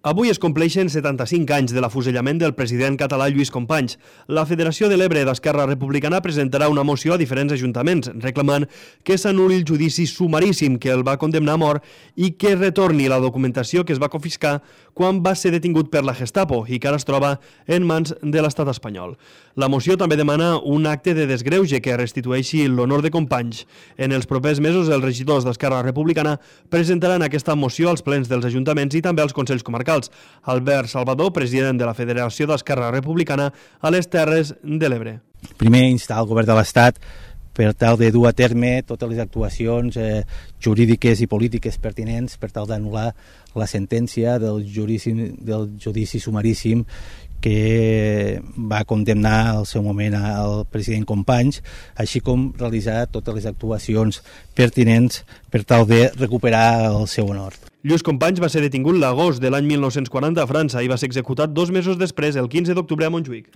Avui es compleixen 75 anys de l'afusellament del president català Lluís Companys. La Federació de l'Ebre d'Esquerra Republicana presentarà una moció a diferents ajuntaments reclamant que s'anul·li el judici sumaríssim que el va condemnar a mort i que retorni la documentació que es va confiscar quan va ser detingut per la Gestapo i que ara es troba en mans de l'estat espanyol. La moció també demana un acte de desgreuge que restitueixi l'honor de Companys. En els propers mesos, els regidors d'Esquerra Republicana presentaran aquesta moció als plens dels ajuntaments i també als consells comarcals. Albert Salvador, president de la Federació d'Esquerra Republicana a les Terres de l'Ebre. Primer, instar el govern de l'Estat per tal de dur a terme totes les actuacions jurídiques i polítiques pertinents per tal d'anul·lar la sentència del judici sumaríssim que va condemnar al seu moment al president Companys, així com realitzar totes les actuacions pertinents per tal de recuperar el seu honor. Lluís Companys va ser detingut l'agost de l'any 1940 a França i va ser executat 2 mesos després, el 15 d'octubre, a Montjuïc.